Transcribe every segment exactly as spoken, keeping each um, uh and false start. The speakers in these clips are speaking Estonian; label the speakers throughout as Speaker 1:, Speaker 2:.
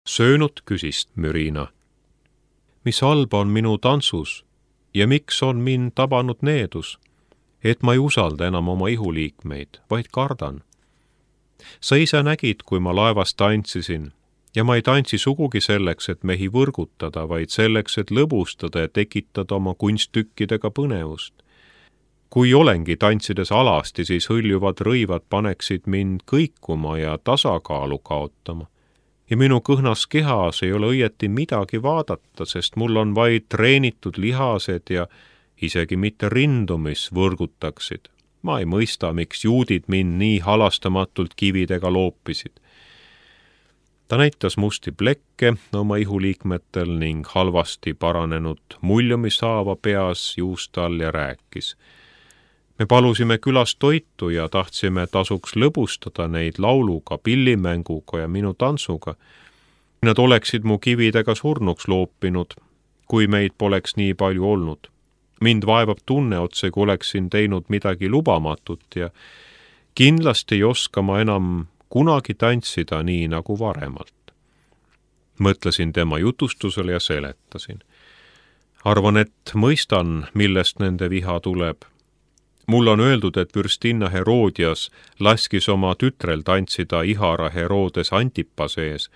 Speaker 1: Söönud küsis Mürina. Mis halba on minu tantsus ja miks on mind tabanud needus, et ma ei usalda enam oma ihuliikmeid, vaid kardan. Sa ise nägid, kui ma laevas tantsisin, ja ma ei tantsi sugugi selleks, et mehi võrgutada, vaid selleks, et lõbustada ja tekitada oma kunsttükkidega põnevust. Kui olengi tantsides alasti, siis hõljuvad rõivad paneksid mind kõikuma ja tasakaalu kaotama. Ja minu kõhnas kehas ei ole õieti midagi vaadata, sest mul on vaid treenitud lihased ja isegi mitte rindu, mis võrgutaksid. Ma ei mõista, miks juudid mind nii halastamatult kividega loopisid. Ta näitas musti plekke oma ihuliikmetel ning halvasti paranenud muljumishaava peas juust all ja rääkis. Me palusime külas toitu ja tahtsime tasuks lõbustada neid lauluga, pillimänguga ja minu tantsuga. Nad oleksid mu kividega surnuks loopinud, kui meid poleks nii palju olnud. Mind vaevab tunne otse, kui oleksin teinud midagi lubamatut ja kindlasti ei oska ma enam kunagi tantsida nii nagu varemalt. Mõtlesin tema jutustusele ja seletasin. Arvan, et mõistan, millest nende viha tuleb. Mul on öeldud, et fürstinna Herodias laskis oma tütrel tantsida ihara Herodes Antipase ees,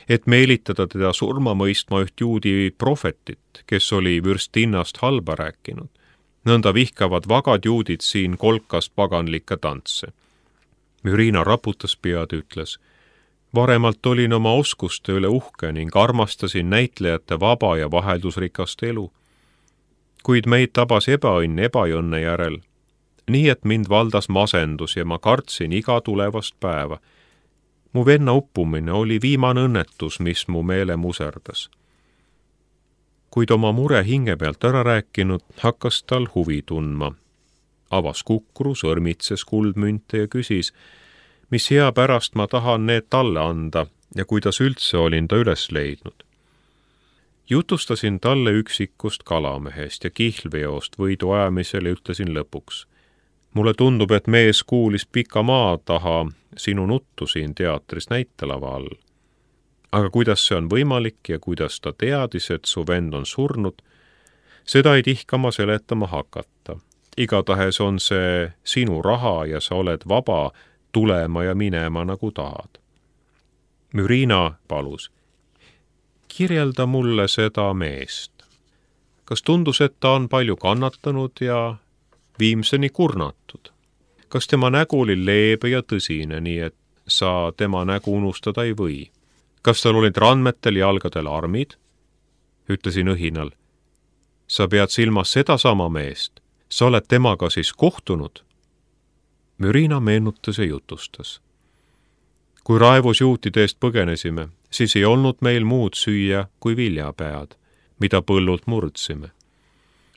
Speaker 1: et meelitada teda surma mõistma üht juudi prohvetit, kes oli vürstinnast halba rääkinud. Nõnda vihkavad vagad juudid siin kolkas paganlikke tantse. Mürina raputas pead, ütles, varemalt olin oma oskuste üle uhke ning armastasin näitlejate vaba ja vaheldusrikast elu. Kuid meid tabas ebaõnn ebaõnne järel, nii et mind valdas masendus ja ma kartsin iga tulevast päeva. Mu venna uppumine oli viimane õnnetus, mis mu meele muserdas. Kuid oma mure hinge pealt ära rääkinud, hakkas tal huvi tundma. Avas kukru, sõrmitses kuldmünte ja küsis, mis hea pärast ma tahan need talle anda ja kuidas üldse olin ta üles leidnud. Jutustasin talle üksikust kalamehest ja kihlveost võidu ajamisel ja ütlesin lõpuks. Mulle tundub, et mees kuulis pika maa taha sinu nuttu siin teatris näitelava all. Aga kuidas see on võimalik ja kuidas ta teadis, et su vend on surnud, seda ei tihkama seletama hakata. Igatahes on see sinu raha ja sa oled vaba tulema ja minema nagu tahad. Mürina palus. Kirjelda mulle seda meest. Kas tundus, et ta on palju kannatanud ja viimseni kurnatud? Kas tema nägu oli leebe ja tõsine, nii et sa tema nägu unustada ei või? Kas tal olid randmetel jalgadel armid? Ütlesin õhinal. Sa pead silmas seda sama meest. Sa oled temaga siis kohtunud? Mürina meenutas ja jutustas. Kui raevus juutide eest põgenesime, siis ei olnud meil muud süüa kui viljapead, mida põllult murdsime.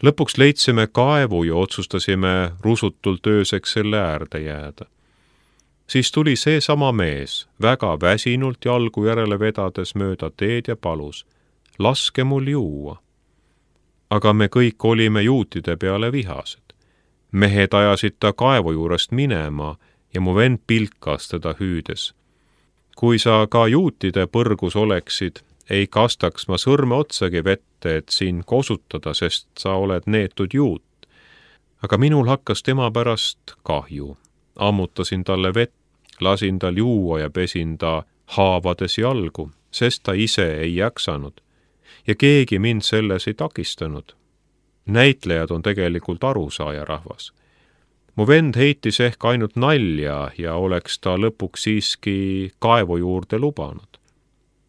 Speaker 1: Lõpuks leidsime kaevu ja otsustasime rusutult ööseks selle äärde jääda. Siis tuli see sama mees, väga väsinult jalgu järele vedades mööda teed ja palus, laske mul juua. Aga me kõik olime juutide peale vihased. Mehed ajasid ta kaevu juurest minema ja mu vend pilkas teda hüüdes. Kui sa ka juutide põrgus oleksid, ei kastaks ma sõrme otsagi vette, et siin kosutada, sest sa oled neetud juut. Aga minul hakkas tema pärast kahju. Ammutasin talle vett, lasin tal juua ja pesin ta haavades jalgu, sest ta ise ei jaksanud. Ja keegi mind selles ei takistanud. Näitlejad on tegelikult arusaaja rahvas. Mu vend heitis ehk ainult nalja ja oleks ta lõpuks siiski kaevu juurde lubanud.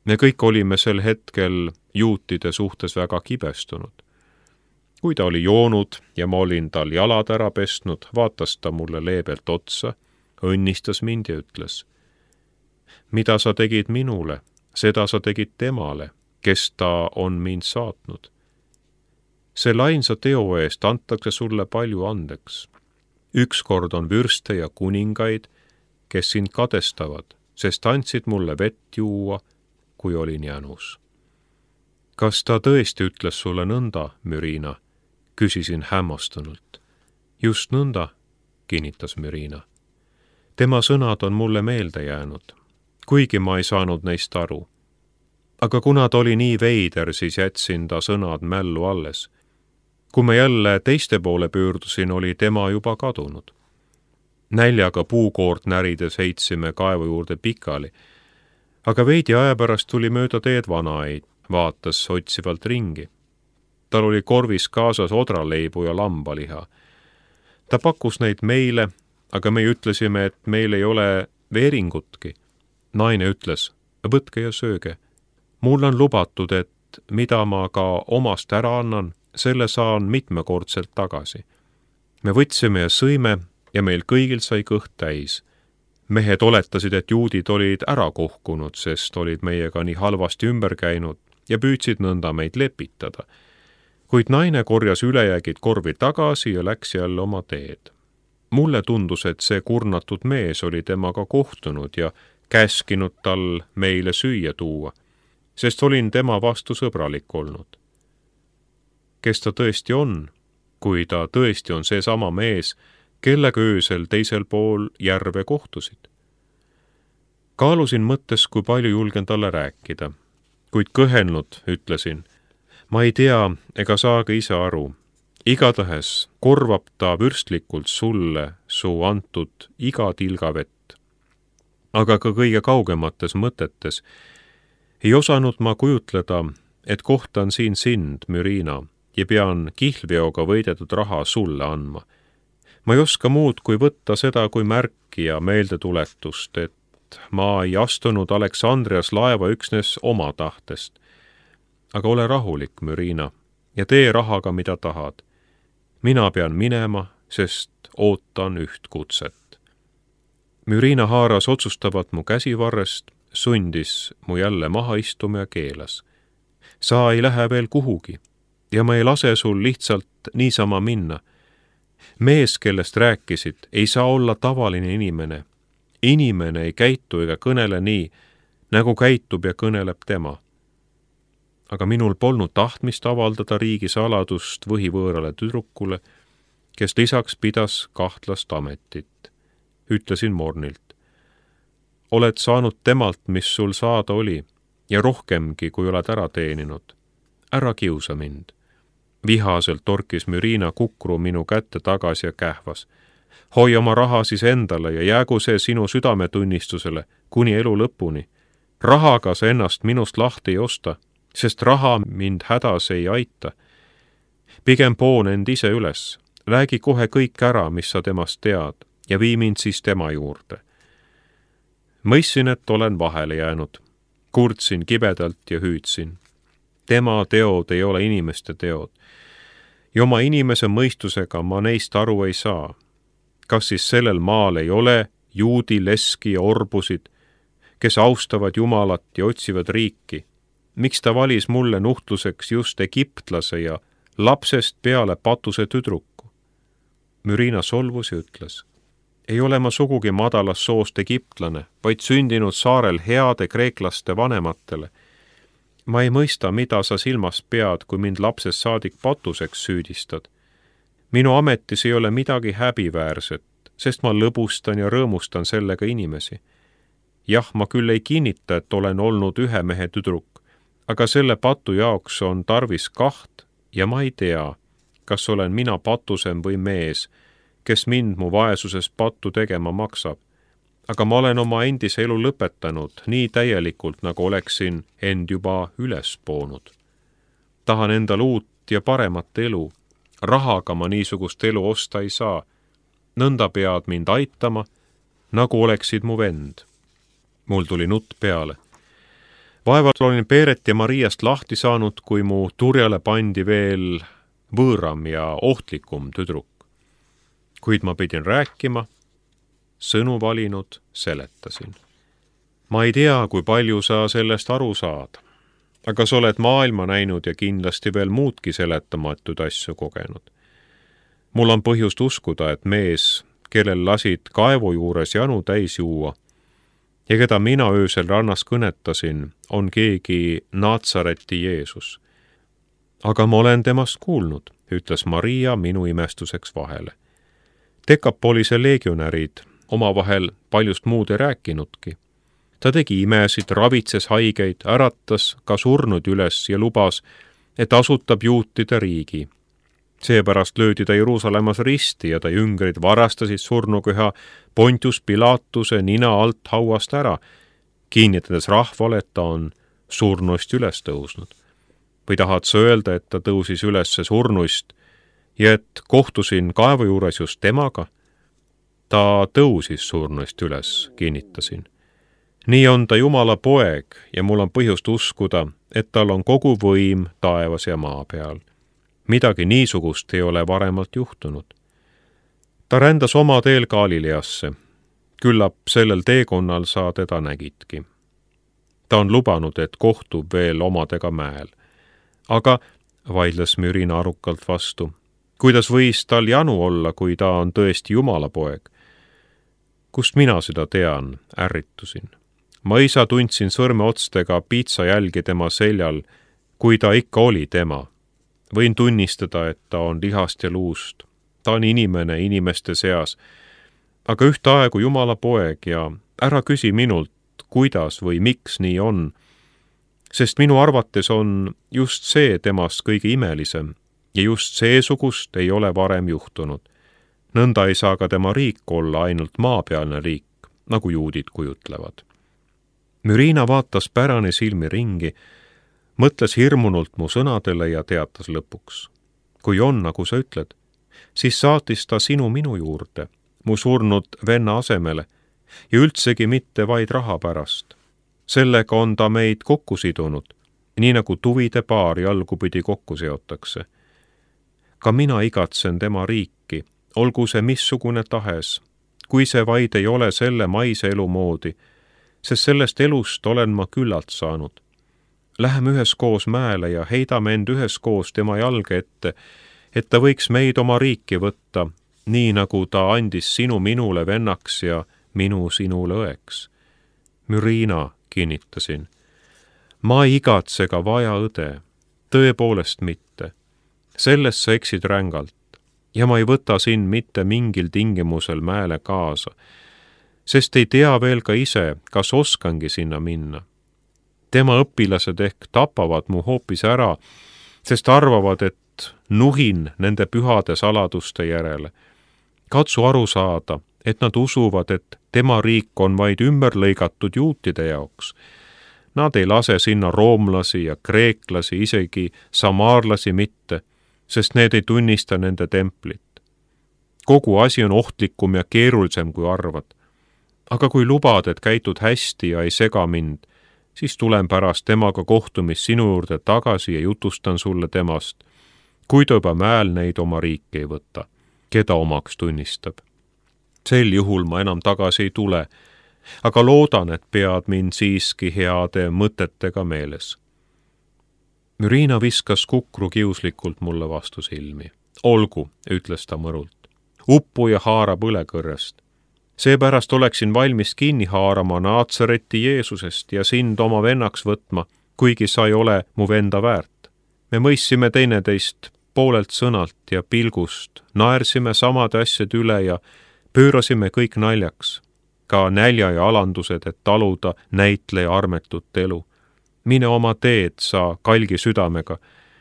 Speaker 1: Me kõik olime sel hetkel juutide suhtes väga kibestunud. Kui ta oli joonud ja ma olin tal jalad ära pestnud, vaatas ta mulle leebelt otsa, õnnistas mind ja ütles. Mida sa tegid minule, seda sa tegid temale, kes ta on mind saatnud. Selle ainsa teo eest antakse sulle palju andeks. Ükskord on vürste ja kuningaid, kes sind kadestavad, sest andsid mulle vett juua, kui olin jänus. Kas ta tõesti ütles sulle nõnda, Mürina? Küsisin hämmastunult. Just nõnda, kinnitas Mürina. Tema sõnad on mulle meelde jäänud, kuigi ma ei saanud neist aru. aga kuna ta oli nii veider, siis jätsin ta sõnad mällu alles. Kui ma jälle teiste poole pöördusin, oli tema juba kadunud. Näljaga puukoort närides heitsime kaevu juurde pikali, aga veidi aja pärast tuli mööda teed vanaid, vaatas otsivalt ringi. Tal oli korvis kaasas odraleibu ja lambaliha. Ta pakkus neid meile, aga me ütlesime, et meil ei ole veeringutki. Naine ütles, võtke ja sööge. Mul on lubatud, et mida ma ka omast ära annan, selle saan mitmekordselt tagasi. Me võtsime ja sõime ja meil kõigil sai kõht täis. Mehed oletasid, et juudid olid ära kohkunud, sest olid meiega nii halvasti ümber käinud ja püüdsid nõnda meid lepitada. Kuid naine korjas ülejäägid korvi tagasi ja läks jälle oma teed. Mulle tundus, et see kurnatud mees oli temaga kohtunud ja käskinud tal meile süüa tuua, sest olin tema vastu sõbralik olnud. Kes ta tõesti on, kui ta tõesti on seesama mees, kellega öösel teisel pool järve kohtusid? Kaalusin mõttes, kui palju julgen talle rääkida, kuid kõhelnud ütlesin, ma ei tea ega saagi ise aru. Igatahes korvab ta vürstlikult sulle su antud iga tilga vett. Aga ka kõige kaugemates mõtetes ei osanud ma kujutleda, et kohtan siin sind, Mürina, ja pean kihlveoga võidetud raha sulle andma. Ma ei oska muud kui võtta seda kui märki ja meeldetuletust, et ma ei astunud Aleksandrias laeva üksnes oma tahtest. Aga ole rahulik, Mürina, ja tee rahaga, mida tahad. Mina pean minema, sest ootan üht kutset. Mürina haaras otsustavat mu käsivarrest, sundis mu jälle maha istuma ja keelas. Sa ei lähe veel kuhugi ja ma ei lase sul lihtsalt niisama minna. Mees, kellest rääkisid, ei saa olla tavaline inimene. Inimene ei käitu ega kõnele nii, nagu käitub ja kõneleb tema. Aga minul polnud tahtmist avaldada riigi saladust võhivõõrale tüdrukule, kes lisaks pidas kahtlast ametit. Ütlesin mornilt. Oled saanud temalt, mis sul saada oli, ja rohkemgi, kui oled ära teeninud. Ära kiusa mind. Vihaselt torkis Mürina kukru minu kätte tagasi ja kähvas. Hoi oma raha siis endale ja jäägu see sinu südametunnistusele kuni elu lõpuni. Rahaga sa ennast minust lahti ei osta, sest raha mind hädas ei aita. Pigem poon end ise üles. Räägi kohe kõik ära, mis sa temast tead, ja vii mind siis tema juurde. Mõistsin, et olen vahele jäänud. Kurtsin kibedalt ja hüüdsin. Tema teod ei ole inimeste teod. Ja oma inimese mõistusega ma neist aru ei saa. Kas siis sellel maal ei ole juudi, leski ja orbusid, kes austavad Jumalat ja otsivad riiki? Miks ta valis mulle nuhtluseks just egiptlase ja lapsest peale patuse tüdruku? Mürina solvus ja ütles. Ei ole ma sugugi madalas soost egiptlane, vaid sündinud saarel heade kreeklaste vanematele. Ma ei mõista, mida sa silmas pead, kui mind lapsest saadik patuseks süüdistad. Minu ametis ei ole midagi häbiväärset, sest ma lõbustan ja rõõmustan sellega inimesi. Jah, ma küll ei kinnita, et olen olnud ühe mehe tüdruk, aga selle patu jaoks on tarvis kaht ja ma ei tea, kas olen mina patusem või mees, kes mind mu vaesuses pattu tegema maksab. Aga ma olen oma endise elu lõpetanud nii täielikult, nagu oleksin end juba üles poonud. Tahan endal uut ja paremat elu. Rahaga ma niisugust elu osta ei saa. Nõnda pead mind aitama, nagu oleksid mu vend. Mul tuli nutt peale. Vaevalt olin Peeret ja Mariast lahti saanud, kui mu turjale pandi veel võõram ja ohtlikum tüdruk. Kuid ma pidin rääkima, sõnu valinud, seletasin. Ma ei tea, kui palju sa sellest aru saad, aga sa oled maailma näinud ja kindlasti veel muudki seletamatuid asju kogenud. Mul on põhjust uskuda, et mees, kellel lasid kaevu juures janu täis juua ja keda mina öösel rannas kõnetasin, on keegi Naatsareti Jeesus. Aga ma olen temast kuulnud, ütles Maria minu imestuseks vahele. Dekapolise legionärid omavahel paljust muud ei rääkinudki. ta tegi imesid, ravitses haigeid, äratas ka surnud üles ja lubas, et asutab juutide riigi. Seepärast löödi ta Jeruusalemmas risti ja ta jüngrid varastasid surnukeha Pontius Pilatuse nina alt hauast ära, kinnitades rahvale, et ta on surnuist üles tõusnud. Või tahad sa öelda, et ta tõusis üles surnuist ja et kohtusin kaevu juures just temaga? Ta tõusis surnuist üles, kinnitasin. Nii on ta Jumala poeg ja mul on põhjust uskuda, et tal on kogu võim taevas ja maa peal. Midagi niisugust ei ole varemalt juhtunud. Ta rändas oma teel Galileasse. Küllap sellel teekonnal sa teda nägidki. Ta on lubanud, et kohtub veel omadega mäel. Aga, vaidles Mürina arukalt vastu, kuidas võis tal janu olla, kui ta on tõesti Jumala poeg? Kust mina seda tean, ärritusin. Ma isa tundsin sõrmeotstega piitsa jälgi tema seljal, kui ta ikka oli tema. Võin tunnistada, et ta on lihast ja luust. Ta on inimene inimeste seas, aga ühtaegu Jumala poeg ja ära küsi minult, kuidas või miks nii on, sest minu arvates on just see temast kõige imelisem ja just seesugust ei ole varem juhtunud. Nõnda ei saa ka tema riik olla ainult maapealne riik, nagu juudid kujutlevad. Mürina vaatas pärane silmi ringi, mõtles hirmunult mu sõnadele ja teatas lõpuks. Kui on, nagu sa ütled, siis saatis ta sinu minu juurde, mu surnud venna asemele, ja üldsegi mitte vaid raha pärast. Sellega on ta meid kokku sidunud, nii nagu tuvide paar jalgupidi kokku seotakse. Ka mina igatsen tema riiki, olgu see missugune tahes, kui see vaid ei ole selle maise elu moodi, sest sellest elust olen ma küllalt saanud. Läheme üheskoos mäele ja heidame end üheskoos tema jalge ette, et ta võiks meid oma riiki võtta, nii nagu ta andis sinu minule vennaks ja minu sinule õeks. Mürina, kinnitasin, ma ei igatse ka vaja õde, tõepoolest mitte. Sellest sa eksid rängalt ja ma ei võta sind mitte mingil tingimusel mäele kaasa, sest ei tea veel ka ise, kas oskangi sinna minna. Tema õpilased ehk tapavad mu hoopis ära, sest arvavad, et nuhin nende pühade saladuste järele. Katsu aru saada, et nad usuvad, et tema riik on vaid ümber lõigatud juutide jaoks. Nad ei lase sinna roomlasi ja kreeklasi, isegi samaarlasi mitte, sest need ei tunnista nende templit. Kogu asi on ohtlikum ja keerulisem, kui arvad. Aga kui lubad, et käitud hästi ja ei sega mind, siis tulen pärast temaga kohtumist sinu juurde tagasi ja jutustan sulle temast, kui ta juba mäel neid oma riiki ei võta, keda omaks tunnistab. Sel juhul ma enam tagasi ei tule, aga loodan, et pead mind siiski heade mõtetega meeles. Mürina viskas kukru kiuslikult mulle vastu silmi. Olgu, ütles ta mõrult. Uppu ja haara põlekõrrest. Seepärast oleksin valmis kinni haarama Naatsareti Jeesusest ja sind oma vennaks võtma, kuigi sa ei ole mu venda väärt. Me mõissime teineteist poolelt sõnalt ja pilgust, naersime samade asjad üle ja pöörasime kõik naljaks, ka nälja ja alandused, et taluda näitleja armetut elu. Mine oma teed sa kalgi südamega,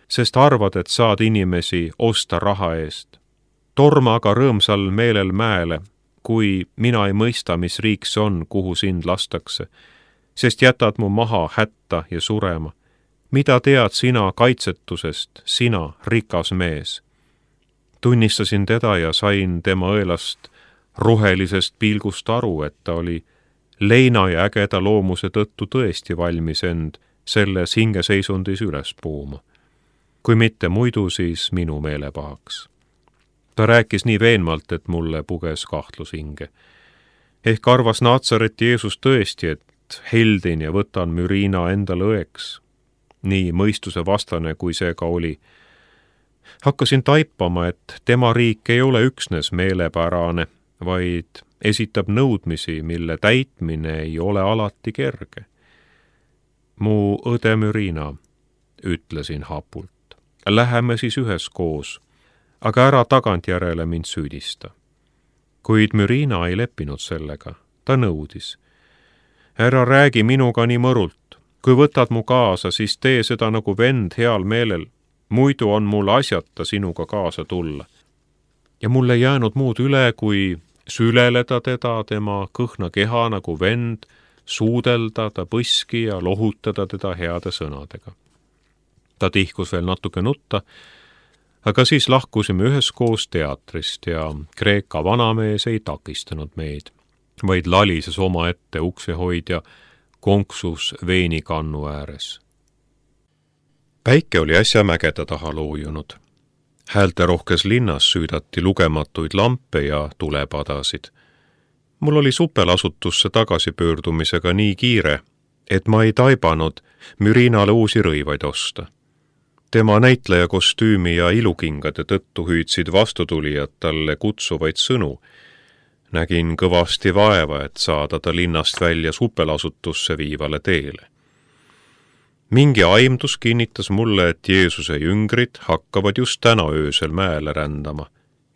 Speaker 1: sest arvad, et saad inimesi osta raha eest. Torma aga rõõmsal meelel mäele, kui mina ei mõista, mis riik see on, kuhu sind lastakse, sest jätad mu maha hätta ja surema. Mida tead sina kaitsetusest, sina, rikas mees? Tunnistasin teda ja sain tema õelast rohelisest pilgust aru, et ta oli leina ja ägeda loomuse tõttu tõesti valmis end selles hingeseisundis üles puuma. Kui mitte muidu, siis minu meelepahaks. Ta rääkis nii veenmalt, et mulle puges kahtlus hinge. Ehk arvas Naatsareti Jeesus tõesti, et heldin ja võtan Mürina endale õeks. Nii mõistuse vastane, kui see ka oli. Hakkasin taipama, et tema riik ei ole üksnes meelepärane, vaid esitab nõudmisi, mille täitmine ei ole alati kerge. Mu õde Mürina, ütlesin hapult, läheme siis üheskoos, aga ära tagantjärele mind süüdista. Kuid Mürina ei leppinud sellega, ta nõudis. ära räägi minuga nii mõrult. Kui võtad mu kaasa, siis tee seda nagu vend heal meelel. Muidu on mul asjata sinuga kaasa tulla. Ja mulle ei jäänud muud üle, kui süleleda teda tema kõhna keha nagu vend, suudelda ta põski ja lohutada teda heade sõnadega. Ta tihkus veel natuke nutta, aga siis lahkusime üheskoos teatrist ja Kreeka vanamees ei takistanud meid, vaid lalises oma ette uksehoidja konksus veinikannu ääres. Päike oli äsja mägede taha loojunud. Häälterohkes linnas süüdati lugematuid lampe ja tulepadasid. Mul oli supelasutusse tagasipöördumisega nii kiire, et ma ei taibanud Mürinale uusi rõivaid osta. Tema näitleja kostüümi ja ilukingade tõttu hüüdsid vastutulijad talle kutsuvaid sõnu. Nägin kõvasti vaeva, et saada ta linnast välja supelasutusse viivale teele. Mingi aimdus kinnitas mulle, et Jeesuse jüngrid hakkavad just täna öösel mäele rändama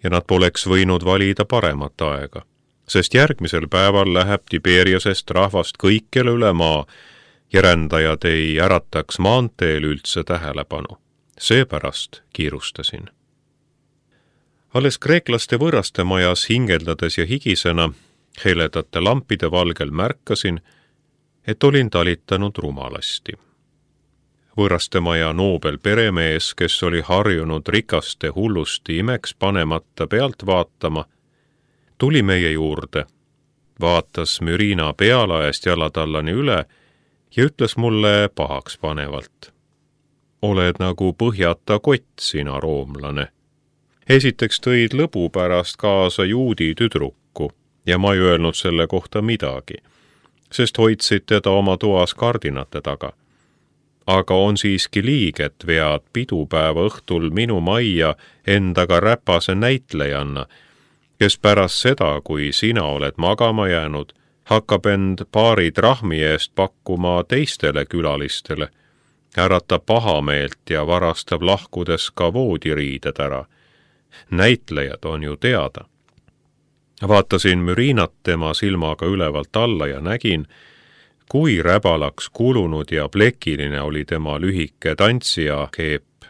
Speaker 1: ja nad poleks võinud valida paremat aega, sest järgmisel päeval läheb Tiberiasest rahvast kõikjale üle maa ja rändajad ei ärataks maanteel üldse tähelepanu. Seepärast kiirustasin. Alles kreeklaste võõraste majas hingeldades ja higisena heledate lampide valgel märkasin, et olin talitanud rumalasti. Võõrastemaja noobel peremees, kes oli harjunud rikaste hullusti imeks panemata pealt vaatama, tuli meie juurde, vaatas Mürina pealaest jalatallani üle ja ütles mulle pahaks panevalt. Oled nagu põhjata kott, sina roomlane. Esiteks tõid lõbu pärast kaasa juudi tüdruku ja ma ei öelnud selle kohta midagi, sest hoidsid teda oma toas kardinate taga. Aga on siiski liig, et vead pidupäeva õhtul minu majja endaga räpase näitlejanna, kes pärast seda, kui sina oled magama jäänud, hakkab end paari trahmi eest pakkuma teistele külalistele, äratab pahameelt ja varastab lahkudes ka voodiriided ära. Näitlejad on ju teada. Vaatasin Mürinat tema silmaga ülevalt alla ja nägin, kui räbalaks kulunud ja plekiline oli tema lühike tantsija keep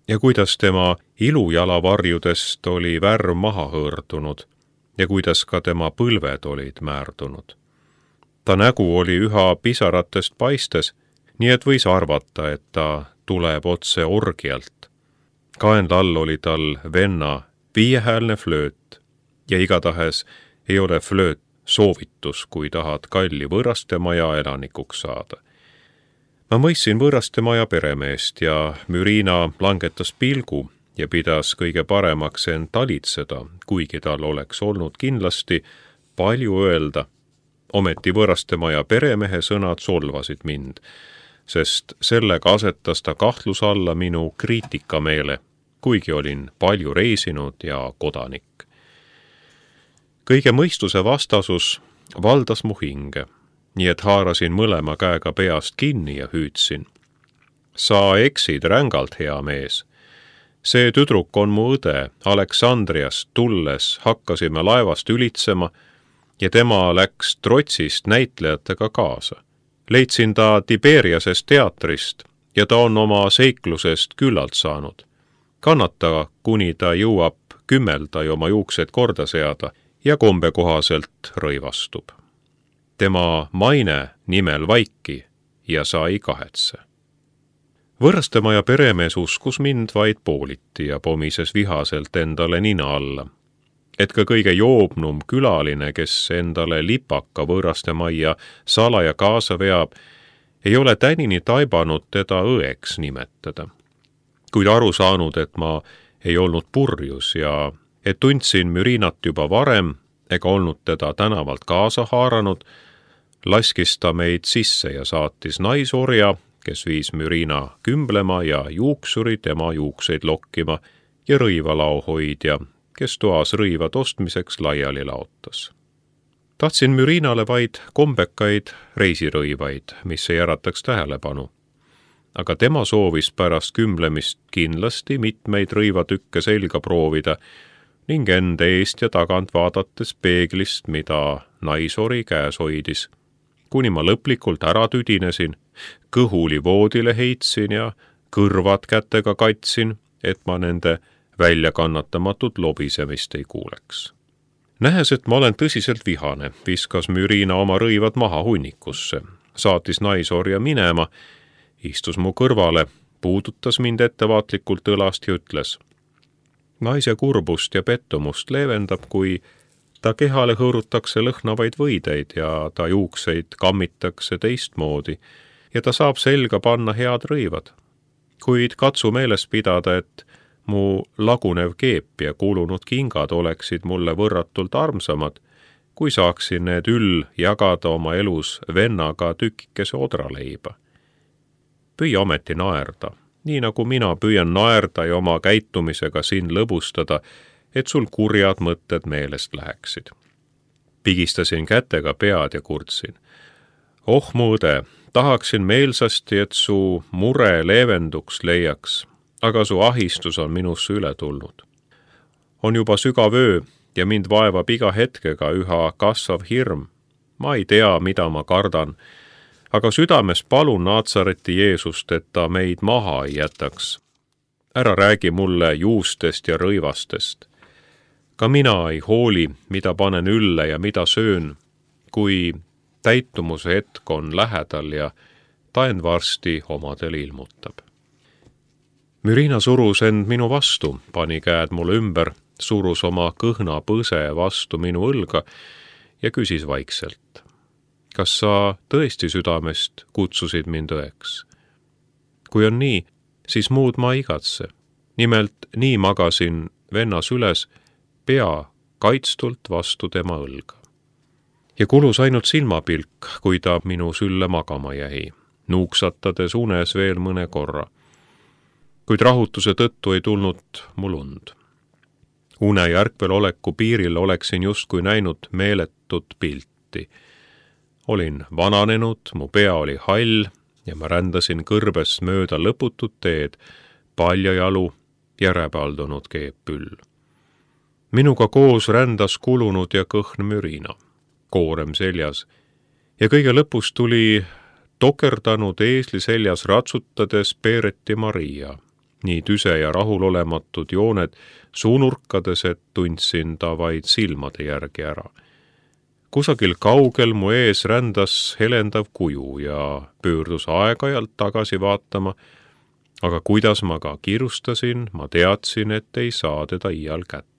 Speaker 1: ja kuidas tema ilujalavarjudest oli värv maha hõõrdunud ja kuidas ka tema põlved olid määrdunud. Ta nägu oli üha pisaratest paistes, nii et võis arvata, et ta tuleb otse orgialt. Kaenla all oli tal venna viiehäälne flööt ja igatahes ei ole flööt soovitus, kui tahad kalli võõrastemaja elanikuks saada. Ma mõistsin võõrastemaja peremeest ja Mürina langetas pilgu ja pidas kõige paremaks end talitseda, kuigi tal oleks olnud kindlasti palju öelda. Ometi võõrastemaja peremehe sõnad solvasid mind, sest sellega asetas ta kahtlus alla minu kriitikameele, kuigi olin palju reisinud ja kodanik. Kõige mõistuse vastasus valdas mu hinge, nii et haarasin mõlema käega peast kinni ja hüüdsin. Sa eksid rängalt, hea mees. See tüdruk on mu õde, Aleksandriast tulles hakkasime laevast ülitsema ja tema läks trotsist näitlejatega kaasa. Leidsin ta Tiberiasest teatrist ja ta on oma seiklusest küllalt saanud. Kannata, kuni ta jõuab kümmelda ja oma juuksed korda seada ja kombe kohaselt rõivastub. Tema maine nimel vaiki ja sa ei kahetse. Võõrastemaja peremees uskus mind vaid pooliti ja pomises vihaselt endale nina alla, et ka kõige joobnum külaline, kes endale lipaka võõrastemajja salaja kaasa veab, ei ole tänini taibanud teda õeks nimetada. Kuid aru saanud, et ma ei olnud purjus ja et tundsin Mürinat juba varem ega olnud teda tänavalt kaasa haaranud, laskis ta meid sisse ja saatis naisorja, kes viis Mürina kümblema ja juuksuri tema juukseid lokkima ja rõivalauhoidja, kes toas rõivad ostmiseks laiali laotas. Tahtsin Mürinale vaid kombekaid reisirõivaid, mis ei ärataks tähelepanu. Aga tema soovis pärast kümblemist kindlasti mitmeid rõivatükke selga proovida ning enda eest ja tagant vaadates peeglist, mida naisori käes hoidis, kuni ma lõplikult ära tüdinesin, kõhuli voodile heitsin ja kõrvad kätega katsin, et ma nende väljakannatamatut lobisemist ei kuuleks. Nähes, et ma olen tõsiselt vihane, viskas Mürina oma rõivad maha hunnikusse, saatis naisorja minema, istus mu kõrvale, puudutas mind ettevaatlikult õlast ja ütles: naise kurbust ja pettumust leevendab, kui ta kehale hõõrutakse lõhnavaid võideid ja ta juukseid kammitakse teistmoodi ja ta saab selga panna head rõivad. Kuid katsu meeles pidada, et mu lagunev keep ja kulunud kingad oleksid mulle võrratult armsamad, kui saaksin need üll jagada oma elus vennaga tükikese odraleiba. Püüa ometi naerda, nii nagu mina püüan naerda ja oma käitumisega sind lõbustada, et sul kurjad mõtted meelest läheksid. Pigistasin kätega pead ja kurtsin: oh mu õde, tahaksin meelsasti, et su mure leevenduks leiaks, aga su ahistus on minusse üle tulnud. On juba sügav öö ja mind vaevab iga hetkega üha kasvav hirm. Ma ei tea, mida ma kardan, aga südames palun Naatsareti Jeesust, et ta meid maha ei jätaks. Ära räägi mulle juustest ja rõivastest. Ka mina ei hooli, mida panen ülle ja mida söön, kui täitumuse hetk on lähedal ja ta end varsti omadel ilmutab. Mürina surus end minu vastu, pani käed mulle ümber, surus oma kõhna põse vastu minu õlga ja küsis vaikselt: kas sa tõesti südamest kutsusid mind õeks? Kui on nii, siis muud ma igatse. Nimelt nii magasin venna süles, pea kaitstult vastu tema õlga. Ja kulus ainult silmapilk, kui ta minu sülle magama jäi, nuuksatades unes veel mõne korra. Kuid rahutuse tõttu ei tulnud mul und. Une ja ärkvel oleku piiril oleksin justkui näinud meeletut pilti. Olin vananenud, mu pea oli hall ja ma rändasin kõrbes mööda lõputut teed, paljajalu ja räbaldunud keepüll. Minuga koos rändas kulunud ja kõhn Mürina, koorem seljas, ja kõige lõpus tuli tokerdanud eesli seljas ratsutades Peereti Maria, nii tüse ja rahulolematud jooned suunurkades, et tundsin ta vaid silmade järgi ära. Kusagil kaugel mu ees rändas helendav kuju ja pöördus aeg-ajalt tagasi vaatama, aga kuidas ma ka kiirustasin, ma teadsin, et ei saa teda iial kätte.